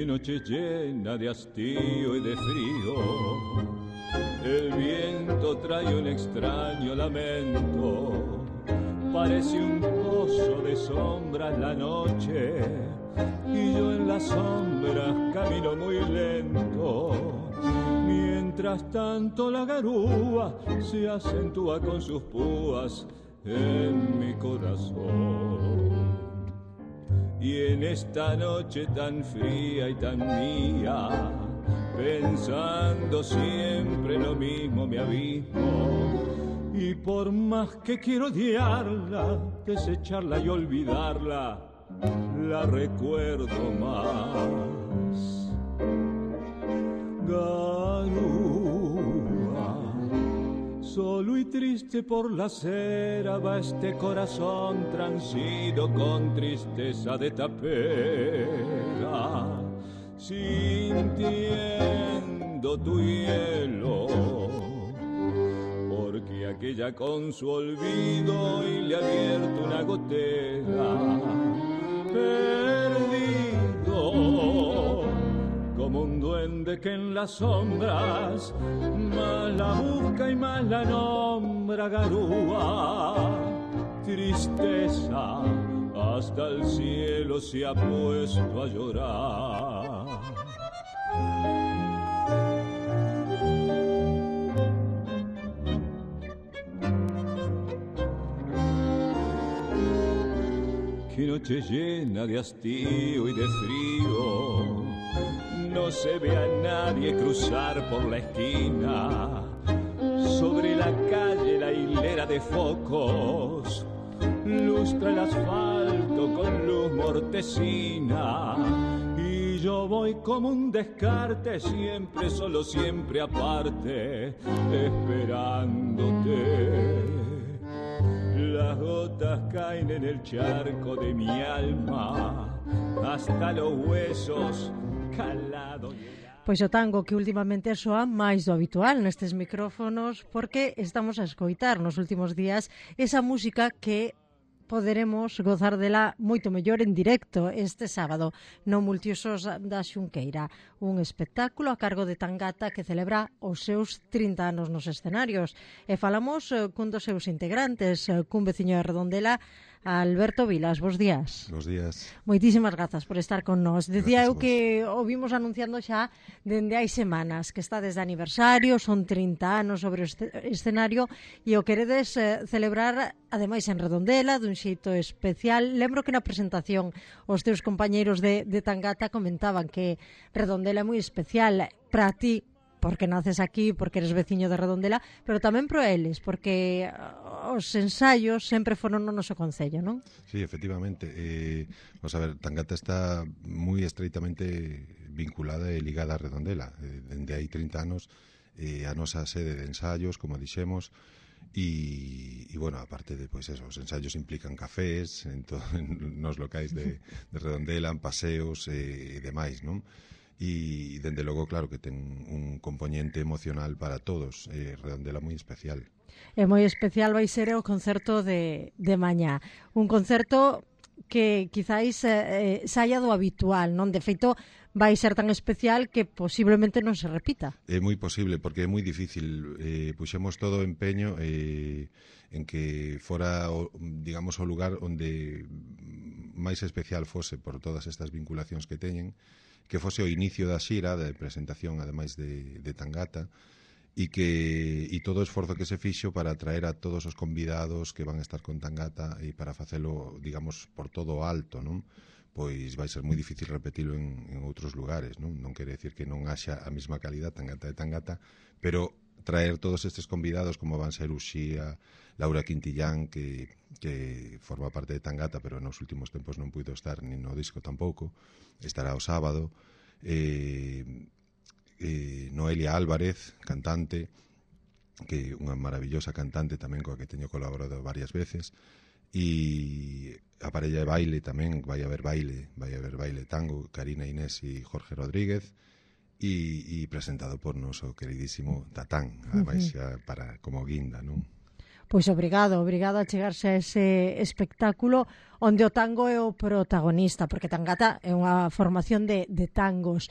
Qué noche llena de hastío y de frío. El viento trae un extraño lamento. Parece un pozo de sombras la noche. Y yo en las sombras camino muy lento. Mientras tanto la garúa se acentúa con sus púas en mi corazón. Y en esta noche tan fría y tan mía, pensando siempre lo mismo me abismo. Y por más que quiero odiarla, desecharla y olvidarla, la recuerdo más. Garúa, solo y triste por la acera va este corazón transido con tristeza de tapera, sintiendo tu hielo, porque aquella con su olvido y le ha abierto una gotera, perdido como un duende que en las sombras más la busca y más la nombra. Garúa, tristeza, hasta el cielo se ha puesto a llorar. Qué noche llena de hastío y de frío. No se ve a nadie cruzar por la esquina. Sobre la calle la hilera de focos lustra el asfalto con luz mortecina. Y yo voy como un descarte, siempre solo, siempre aparte, esperándote. Las gotas caen en el charco de mi alma, hasta los huesos calados. Pois o tango que últimamente soa máis do habitual nestes micrófonos, porque estamos a escoitar nos últimos días esa música que poderemos gozar dela moito mellor en directo este sábado no Multiusos da Xunqueira, un espectáculo a cargo de Tangata que celebra os seus 30 anos nos escenarios. E falamos cun dos seus integrantes, cun veciño de Redondela, Alberto Vilas. Bos días. Bos días. Moitísimas grazas por estar con nós. Decía eu que o vimos anunciando xa dende hai semanas, que está desde aniversario, son 30 anos sobre o escenario e o queredes celebrar ademais en Redondela dun xeito especial. Lembro que na presentación os teus compañeiros de Tangata comentaban que Redondela é moi especial para ti, porque naces aquí, porque eres veciño de Redondela, pero tamén pro eles, porque os ensaios sempre foron no noso concello, non? Sí, efectivamente. Vamos a ver, Tangata está moi estreitamente vinculada e ligada a Redondela. Dende hai 30 anos a nosa sede de ensaios, como dixemos, e bueno, aparte de, pois eso, os ensaios implican cafés nos locais de Redondela, en paseos e demais, non? E, dende logo, claro, que ten un componente emocional para todos. Redondela moi especial. E moi especial vai ser o concerto de mañá. Un concerto que quizáis saia do habitual, non? De feito, vai ser tan especial que posiblemente non se repita. É moi posible, porque é moi difícil. Puxemos todo o empeño en que fora, digamos, o lugar onde máis especial fose por todas estas vinculacións que teñen, que fose o inicio da xira, de presentación, ademais de Tangata, e todo o esforzo que se fixo para atraer a todos os convidados que van a estar con Tangata e para facelo, digamos, por todo o alto, non? Pois vai ser moi difícil repetilo en outros lugares, non? Non quere decir que non haxa a mesma calidad Tangata de Tangata, pero traer todos estes convidados como van ser Uxía, Laura Quintillán, que forma parte de Tangata, pero nos últimos tempos non puido estar nin no disco tampouco, estará o sábado. Noelia Álvarez, cantante, que unha maravillosa cantante tamén coa que teño colaborado varias veces, e a parella de baile tamén, vai haber baile tango, Karina Inés e Jorge Rodríguez, e presentado por noso queridísimo Tatán, ademais xa para como guinda, non? Pois obrigado a chegarse a ese espectáculo onde o tango é o protagonista, porque Tangata é unha formación de tangos.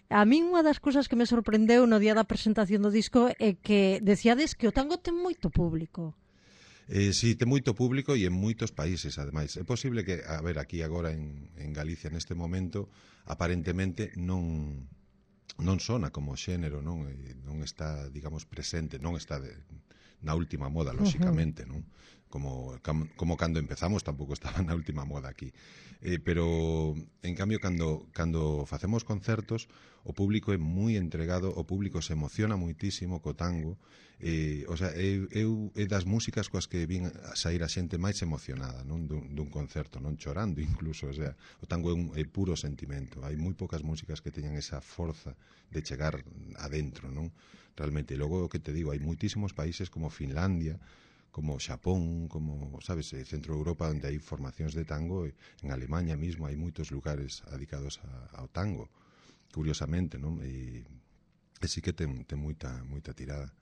A min unha das cousas que me sorprendeu no día da presentación do disco é que decíades que o tango ten moito público. Sí, ten moito público e en moitos países, ademais. É posible que, a ver, aquí agora en Galicia neste momento, aparentemente non sona como xénero, non está, digamos, presente, non está na última moda, lóxicamente, non? Como cando empezamos tampouco estaba na última moda aquí. Pero, en cambio, cando facemos concertos, o público é moi entregado, o público se emociona moitísimo co tango, o sea, é das músicas coas que vin a sair a xente máis emocionada, non? Dun concerto, non chorando incluso, o sea, o tango é puro sentimento. Hai moi poucas músicas que teñan esa forza de chegar adentro, non? Realmente, e logo o que te digo, hai moitísimos países como Finlandia, como Xapón, como, sabes, Centro Europa, onde hai formacións de tango, en Alemanha mesmo hai moitos lugares dedicados ao tango, curiosamente, non? E sí que ten moita tirada.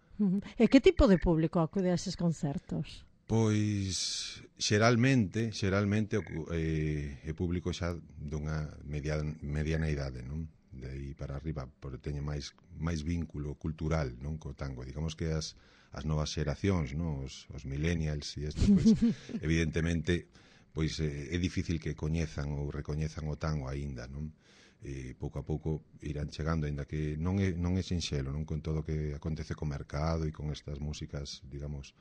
E que tipo de público acude a eses concertos? Pois xeralmente é público xa dunha mediana idade, non? De aí para arriba, porque teñe máis vínculo cultural, non, co tango. Digamos que as novas xeracións, non, os millennials e isto, pois evidentemente pois é difícil que coñezan ou recoñezan o tango aínda, non? E pouco a pouco irán chegando, aínda que non é sinxelo, non, con todo o que acontece co mercado e con estas músicas, digamos,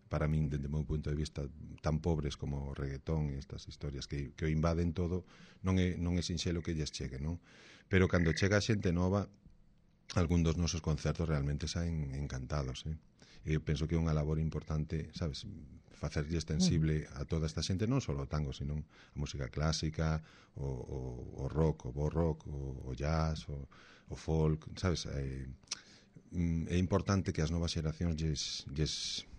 para min, dende o meu punto de vista, tan pobres como o reggaetón e estas historias que o invaden todo, non é sinxelo que lles chegue, non? Pero cando chega a xente nova, algún dos nosos concertos realmente saen encantados, Eu penso que é unha labor importante, sabes, facerlle extensible a toda esta xente, non só o tango, sino a música clásica, o rock, o bo rock, o jazz, o folk, sabes? É importante que as novas xeracións lles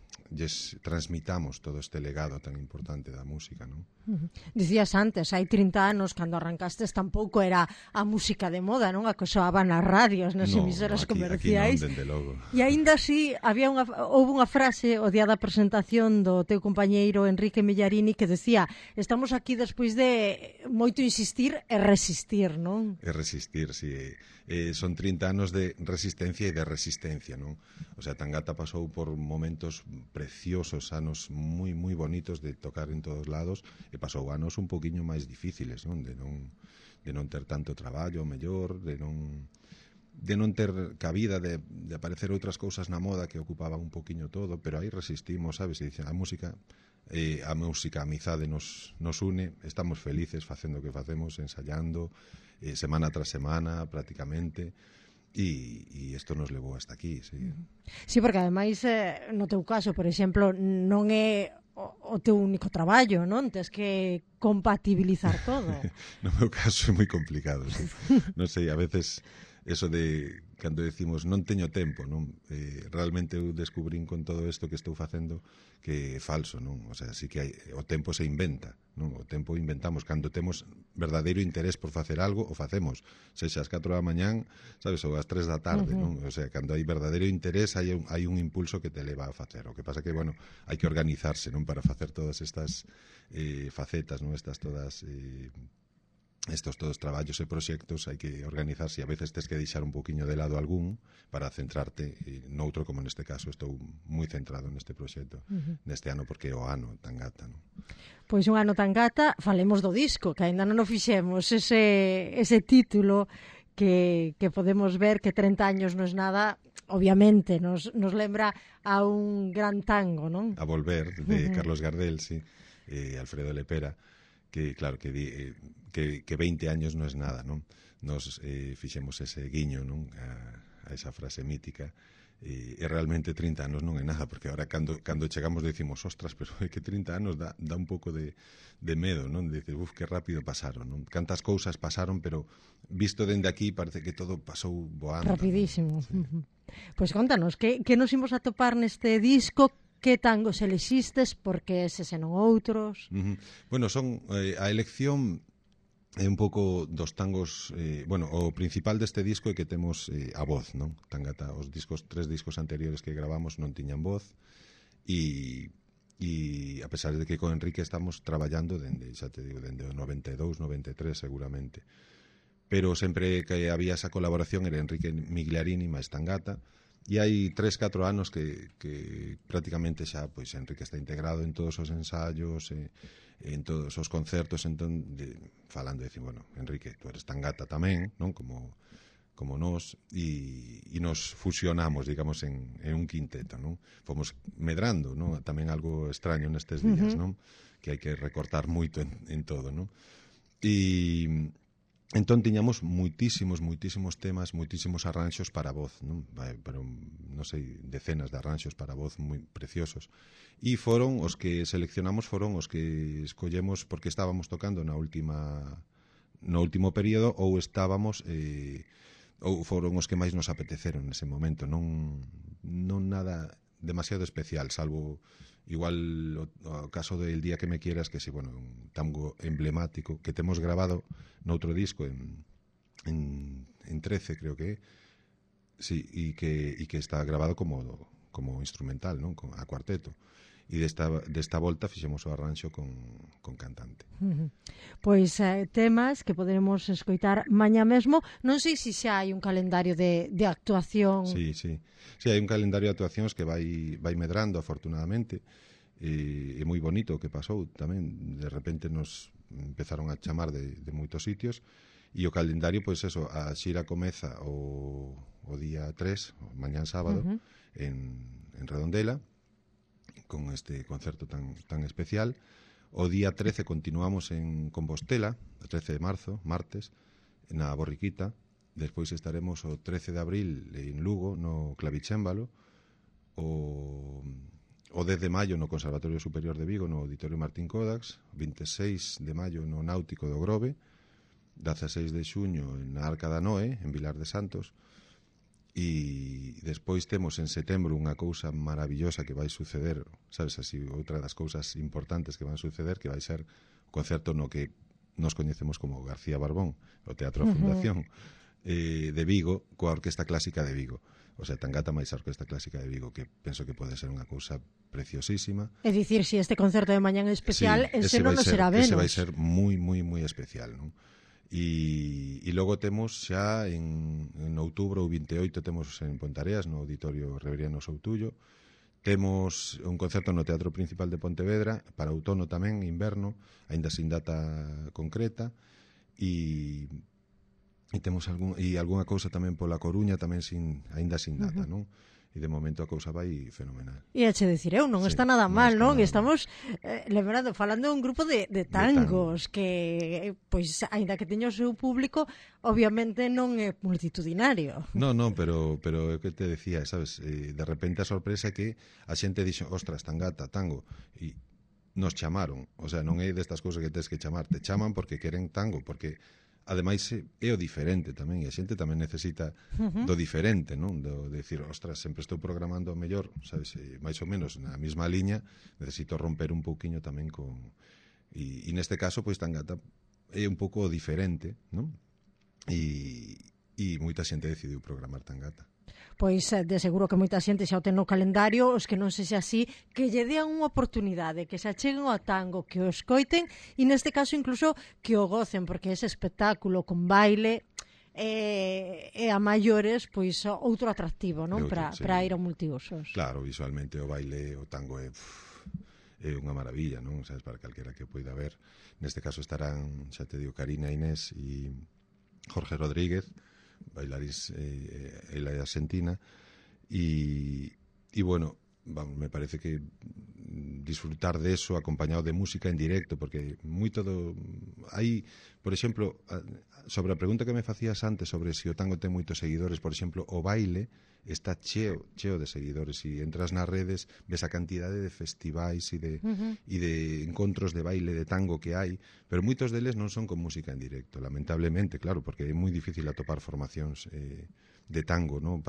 transmitamos todo este legado tan importante da música, non? Dicías antes, hai 30 anos, cando arrancastes, tampouco era a música de moda, non? A que soaba nas radios, nas emisoras comerciais. Aquí non, dende logo. E aínda así, houve unha frase o día da presentación do teu compañeiro Enrique Millarini que decía: estamos aquí despois de moito insistir e resistir, non? E resistir, si. Son 30 anos de resistencia e de resistencia, non? O sea, Tangata pasou por momentos preciosos, anos moi bonitos de tocar en todos lados, e pasou anos un poquinho máis difíciles, non? De non ter tanto traballo, mellor, de non ter cabida, de aparecer outras cousas na moda que ocupaban un poquinho todo, pero aí resistimos, sabes? E dicen, a música, a amizade nos une, estamos felices facendo o que facemos, ensayando, semana tras semana, prácticamente, e isto nos levou hasta aquí, sí. Sí, porque ademais, no teu caso, por exemplo, non é o teu único traballo, non? Tes que compatibilizar todo. No meu caso é moi complicado, sí. Non sei, a veces eso de cando decimos non teño tempo, non? Realmente eu descubrín con todo isto que estou facendo que é falso, non? O sea, sí que o tempo se inventa, non? O tempo inventamos cando temos verdadeiro interés por facer algo, o facemos, sexa ás 4 da mañán, sabes, ou ás 3 da tarde, non? O sea, cando hai verdadeiro interés hai un impulso que te leva a facer. O que pasa que, bueno, hai que organizarse, non? Para facer todas estas facetas, non? Estas todas estos todos traballos e proxectos, hai que organizarse e a veces tes que deixar un poquinho de lado algún para centrarte noutro, como neste caso estou moi centrado neste proxecto neste ano, porque é o ano Tangata, non? Pois un ano Tangata, falemos do disco, que aínda non o fixemos, ese título que podemos ver que 30 años non é nada, obviamente nos lembra a un gran tango, non? A Volver, de Carlos Gardel, sí, Alfredo Lepera, que claro, que 20 años non é nada, non? Nos fixemos ese guiño, non? A esa frase mítica, e realmente 30 anos non é nada, porque ahora cando chegamos decimos, ostras, pero é que 30 anos dá un pouco de medo, non? Dices, que rápido pasaron, non? Cantas cousas pasaron, pero visto dende aquí parece que todo pasou voando. Rapidísimo. Sí. Pois contanos, que nos imos a topar neste disco? Que tangos elexistes, porque eses e non outros? Bueno, son a elección é un pouco dos tangos, bueno, o principal deste disco é que temos a voz, non? Tangata, os 3 discos anteriores que gravamos non tiñan voz, e a pesar de que con Enrique estamos traballando dende, xa te digo, dende o 92, 93 seguramente, pero sempre que había esa colaboración era Enrique Migliarini máis Tangata, e hai 3-4 anos que prácticamente xa pois Enrique está integrado en todos os ensaios, en todos os concertos, entón falando de decir, bueno, Enrique, tú eres Tangata tamén, non? Como nós, e nos fusionamos, digamos, en un quinteto, non? Fomos medrando, non? Tamén algo extraño nestes días, non? Que hai que recortar moito en todo, non? E entón tiñamos moitísimos temas, moitísimos arranxos para voz, non? Pero, non sei, decenas de arranxos para voz moi preciosos. E foron os que seleccionamos, foron os que escollemos porque estábamos tocando no último período ou estábamos ou foron os que máis nos apeteceron nese momento, non nada demasiado especial, salvo igual o caso del Día que me quieras, que sí, bueno, un tango emblemático que temos grabado noutro disco en 13, creo que sí, e que está grabado como instrumental, non? A cuarteto. E desta volta fixemos o arranxo con cantante. Pois temas que poderemos escoitar mañá mesmo. Non sei se xa hai un calendario de actuación. Sí, hai un calendario de actuacións que vai medrando, afortunadamente. É moi bonito o que pasou tamén. De repente nos empezaron a chamar de moitos sitios, e o calendario, pois eso, a xira comeza o día 3, mañán sábado, en Redondela, con este concerto tan especial. O día 13 continuamos en Compostela, o 13 de marzo, martes, na Borriquita. Despois estaremos o 13 de abril en Lugo, no Clavicémbalo. O 10 de maio no Conservatorio Superior de Vigo, no Auditorio Martín Codax. 26 de maio no Náutico do Grove. 16 de xuño na Arca da Noé, en Vilar de Santos. E despois temos en setembro unha cousa maravillosa que vai suceder, sabes, así, outra das cousas importantes que van suceder, que vai ser o concerto no que nos coñecemos como García Barbón, o Teatro Fundación de Vigo, coa Orquesta Clásica de Vigo. O sea, Tangata máis a Orquesta Clásica de Vigo, que penso que pode ser unha cousa preciosísima. É dicir, se este concerto de mañán é especial, sí, ese non será menos. Ese vai ser moi especial, non? E logo temos xa en outubro, o 28, temos en Pontareas, no Auditorio Reveriano Soutullo. Temos un concerto no Teatro Principal de Pontevedra para outono tamén, inverno, aínda sin data concreta, e temos algunha cousa tamén pola Coruña, tamén aínda sin data, non? E de momento a cousa vai fenomenal. E eche dicir, non está nada mal, non? Estamos lembrando, falando de un grupo de tangos que, pois, aínda que teña o seu público, obviamente non é multitudinario. Non, pero é o que te decía, sabes, de repente a sorpresa é que a xente dixo, ostras, Tangata, tango, e nos chamaron, o sea, non é destas cousas que tens que chamar, te chaman porque queren tango, porque ademais é o diferente tamén, e a xente tamén necesita do diferente, non? De decir, ostras, sempre estou programando o mellor, sabes, máis ou menos na mesma liña, necesito romper un pouquiño tamén con... E neste caso, pois, Tangata é un pouco diferente, non? E moita xente decidiu programar Tangata. Pois de seguro que moita xente xa o ten no calendario, os que non sexa así, que lle dean unha oportunidade, que se acheguen ao tango, que o escoiten e neste caso incluso que o gocen, porque ese espectáculo con baile e a maiores, pois outro atractivo, non? Para ir a multiusos. Claro, visualmente o baile, o tango é unha maravilla, non? Sabes, para calquera que poida ver. Neste caso estarán, xa te digo, Karina Inés e Jorge Rodríguez, bailarís ela é argentina, e bueno, me parece que disfrutar de eso acompañado de música en directo, porque moito hai, por exemplo, sobre a pregunta que me facías antes sobre se o tango ten moitos seguidores, por exemplo, o baile está cheo de seguidores, e entras nas redes, ves a cantidade de festivais e de encontros de baile de tango que hai, pero moitos deles non son con música en directo, lamentablemente, claro, porque é moi difícil atopar formacións de tango, non?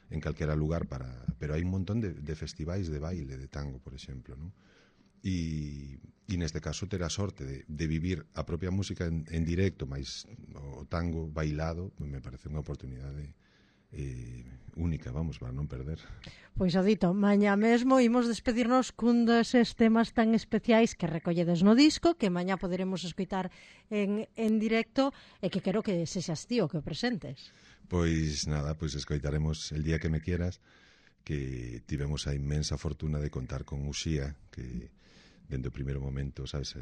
En calquera lugar, pero hai un montón de festivais de baile de tango, por exemplo, non? E neste caso ter a sorte de vivir a propia música en directo, máis o tango bailado, me parece unha oportunidade única, vamos, para non perder. Pois o dito, mañá mesmo imos despedirnos cun deses temas tan especiais que recolledes no disco, que mañá poderemos escoitar en directo e que quero que sexas ti o que o presentes. Pois nada, pois escoitaremos El día que me quieras, que tivemos a inmensa fortuna de contar con Uxía, que dende o primeiro momento, sabes,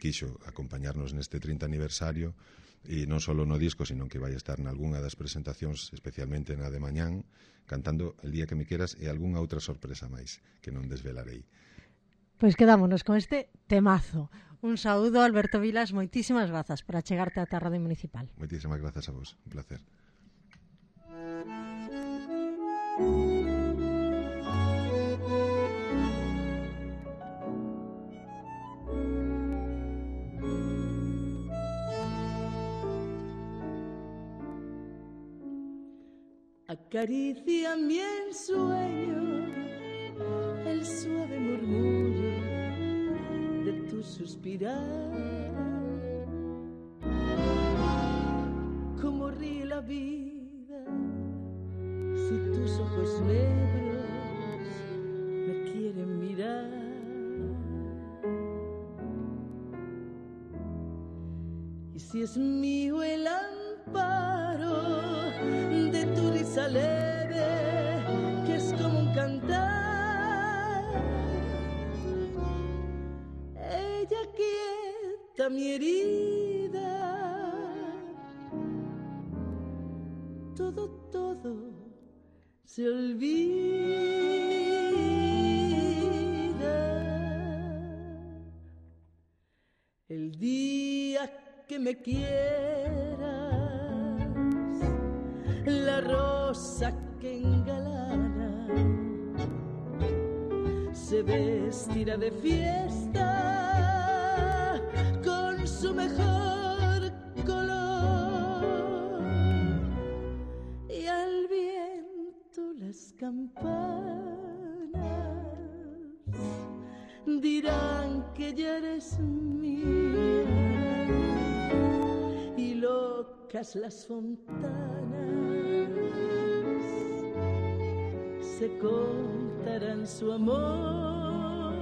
quixo acompañarnos neste 30 aniversario, e non só no disco, sino que vai estar nalgúna das presentacións, especialmente na de mañán, cantando El día que me quieras e algunha outra sorpresa máis que non desvelarei. Pois quedámonos con este temazo. Un saúdo, Alberto Vilas, moitísimas grazas por achegarte á Radio Municipal. Moitísimas grazas a vos, un placer. Acaricia mi ensueño el suave murmullo de tu suspirar, como ríe la vida si tus ojos negros me quieren mirar. Y si es mío el amparo de tu risa leve, que es como un cantar, ella quieta mi herida, todo se olvida. El día que me quieras, la rosa que engalana se vestirá de fiesta con su mejor color, y al viento las campanas dirán que ya eres mía, y locas las fontanas se contarán su amor.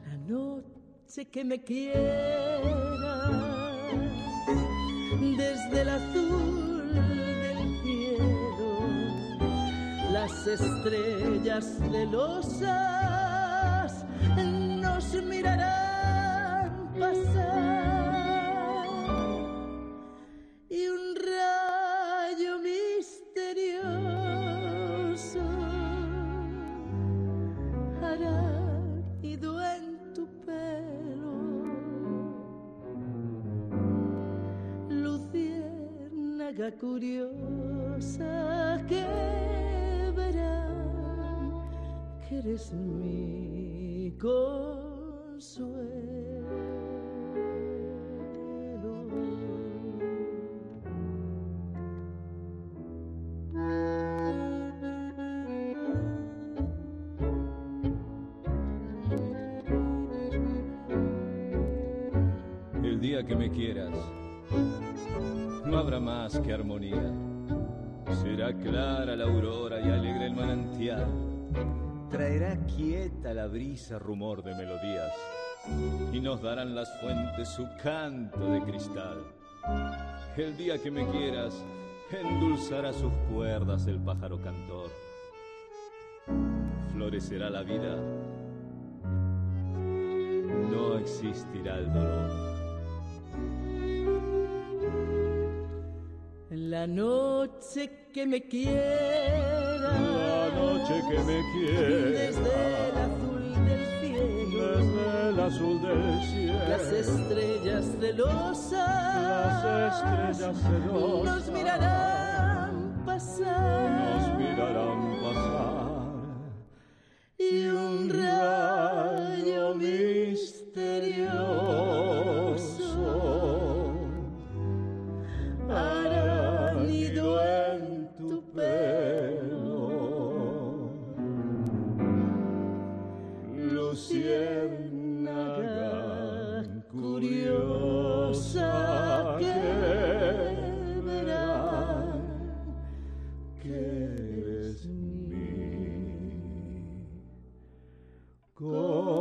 La noche que me quieras, desde el azul del cielo, las estrellas celosas nos mirarán pasar, y un rayo misterioso hará nido en tu pelo, luciérnaga curiosa que verán que eres mi consuelo. El día que me quieras, no habrá más que armonía. Será clara la aurora y alegre el manantial. Traerá quieta la brisa rumor de melodías, y nos darán las fuentes su canto de cristal. El día que me quieras, endulzará sus cuerdas el pájaro cantor. Florecerá la vida, no existirá el dolor. La noche que me quiera, La noche que me quiera, desde el azul del cielo, desde el azul del cielo, las estrellas celosas, nos mirarán pasar, y un rayo misterioso hará nido en tu pelo, luciérnaga curiosa que con